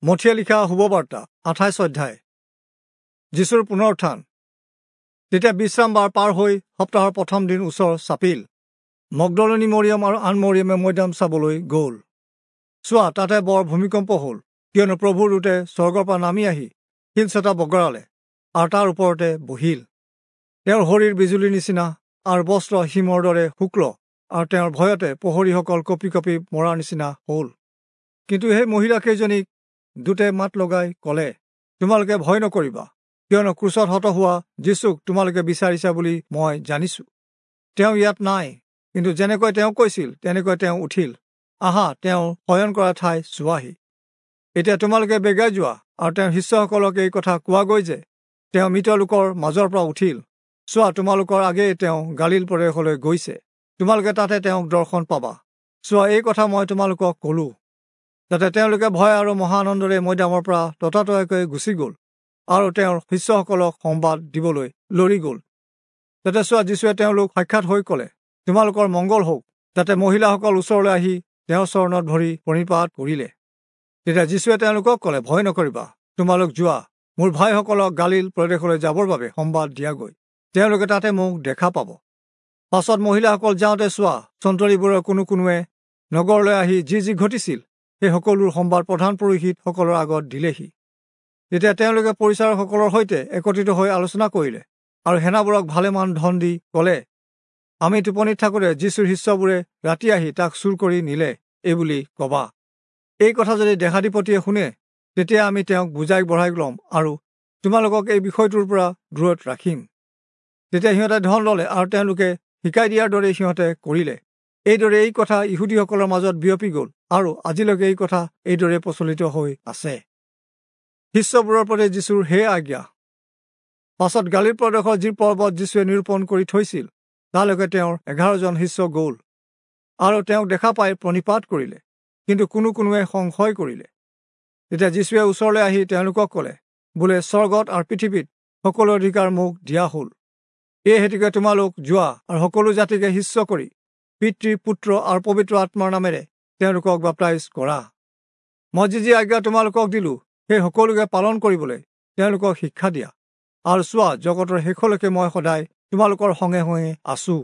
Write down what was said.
মথিয়ে লিখা শুভবাৰ্তা 28 অধ্যায়। যীশুৰ পুনৰুত্থান। তেতিয়া বিশ্ৰামবাৰ পাৰ হৈ সপ্তাহৰ প্ৰথম দিন ওচৰ চাপিল। মগদলনী মৰিয়ম আৰু আন মৰিয়মে মৈদাম চাবলৈ গ'ল। চোৱা, তাতে বৰ ভূমিকম্প হ'ল, কিয়নো প্ৰভুৰ দূতে স্বৰ্গৰ পৰা নামি আহি শিলচটা বগৰালে আৰু তাৰ ওপৰতে বহিল। তেওঁৰ শৰীৰ বিজুলীৰ নিচিনা আৰু বস্ত্ৰ হিমৰ দৰে শুক্ল, আৰু তেওঁৰ ভয়তে প্ৰহৰীসকল কঁপি কঁপি মৰাৰ নিচিনা হ'ল। কিন্তু সেই মহিলাকেইজনীক দূতে মাত লগাই ক'লে, তোমালোকে ভয় নকৰিবা, কিয়নো ক্ৰুচত হত হোৱা যীচুক তোমালোকে বিচাৰিছা বুলি মই জানিছোঁ। তেওঁ ইয়াত নাই, কিন্তু যেনেকৈ তেওঁ কৈছিল তেনেকৈ তেওঁ উঠিল। আহা, তেওঁ শয়ন কৰা ঠাই চোৱাহি। এতিয়া তোমালোকে বেগাই যোৱা আৰু তেওঁৰ শিষ্যসকলক এই কথা কোৱাগৈ যে তেওঁ মৃত লোকৰ মাজৰ পৰা উঠিল। চোৱা, তোমালোকৰ আগেয়ে তেওঁ গালিল প্ৰদেশলৈ গৈছে, তোমালোকে তাতে তেওঁক দৰ্শন পাবা। চোৱা, এই কথা মই তোমালোকক ক'লো। যাতে তেওঁলোকে ভয় আৰু মহা আনন্দৰে মৈদামৰ পৰা ততাতৈয়াকৈ গুচি গ'ল আৰু তেওঁৰ শিষ্যসকলক সংবাদ দিবলৈ লৰি গ'ল। যাতে চোৱা, যীশুৱে তেওঁলোক সাক্ষাৎ হৈ ক'লে, তোমালোকৰ মংগল হওক। যাতে মহিলাসকল ওচৰলৈ আহি তেওঁৰ চৰণত ভৰি প্ৰণিপাত কৰিলে। তেতিয়া যীশুৱে তেওঁলোকক ক'লে, ভয় নকৰিবা, তোমালোক যোৱা, মোৰ ভাইসকলক গালিল প্ৰদেশলৈ যাবৰ বাবে সংবাদ দিয়াগৈ, তেওঁলোকে তাতে মোক দেখা পাব। পাছত মহিলাসকল যাওঁতে চোৱা, চন্তৰীবোৰৰ কোনো কোনোৱে নগৰলৈ আহি যি যি ঘটিছিল সেই সকলোৰ সম্বাদ প্ৰধান পুৰোহিতসকলৰ আগত দিলেহি। তেতিয়া তেওঁলোকে পৰিচাৰকসকলৰ সৈতে একত্ৰিত হৈ আলোচনা কৰিলে আৰু সেনাবোৰক ভালেমান ধন দি ক'লে, আমি টোপনিত থাকোঁতে যীশুৰ শিষ্যবোৰে ৰাতি আহি তাক চুৰ কৰি নিলে এইবুলি কবা। এই কথা যদি দেশাধিপতিয়ে শুনে, তেতিয়া আমি তেওঁক বুজাই বঢ়াই ল'ম আৰু তোমালোকক এই বিষয়টোৰ পৰা দূৰত ৰাখিম। তেতিয়া সিহঁতে ধন ল'লে আৰু তেওঁলোকে শিকাই দিয়াৰ দৰে সিহঁতে কৰিলে। এইদৰে এই কথা ইহুদীসকলৰ মাজত বিয়পি গ'ল আৰু আজিলৈকে এই কথা এইদৰে প্ৰচলিত হৈ আছে। শিষ্যবোৰৰ প্ৰতি যীশুৰ সেই আজ্ঞা। পাছত গালিল প্ৰদেশৰ যি পৰ্বত যীশুৱে নিৰূপণ কৰি থৈছিল, তালৈকে তেওঁৰ 11 জন শিষ্য গ'ল আৰু তেওঁক দেখা পাই প্ৰণিপাত কৰিলে, কিন্তু কোনো কোনোৱে সংশয় কৰিলে। তেতিয়া যীশুৱে ওচৰলৈ আহি তেওঁলোকক ক'লে, বোলে, স্বৰ্গত আৰু পৃথিৱীত সকলো অধিকাৰ মোক দিয়া হ'ল। এই হেতুকে তোমালোক যোৱা আৰু সকলো জাতিকে শিষ্য কৰি পিতৃ, পুত্ৰ আৰু পবিত্ৰ আত্মাৰ নামেৰে তেওঁলোকক বাপ্তাইজ কৰা। মই যি যি আজ্ঞা তোমালোকক দিলোঁ সেই সকলোকে পালন কৰিবলৈ তেওঁলোকক শিক্ষা দিয়া। আৰু চোৱা, জগতৰ শেষলৈকে মই সদায় তোমালোকৰ সঙে সঙে আছোঁ।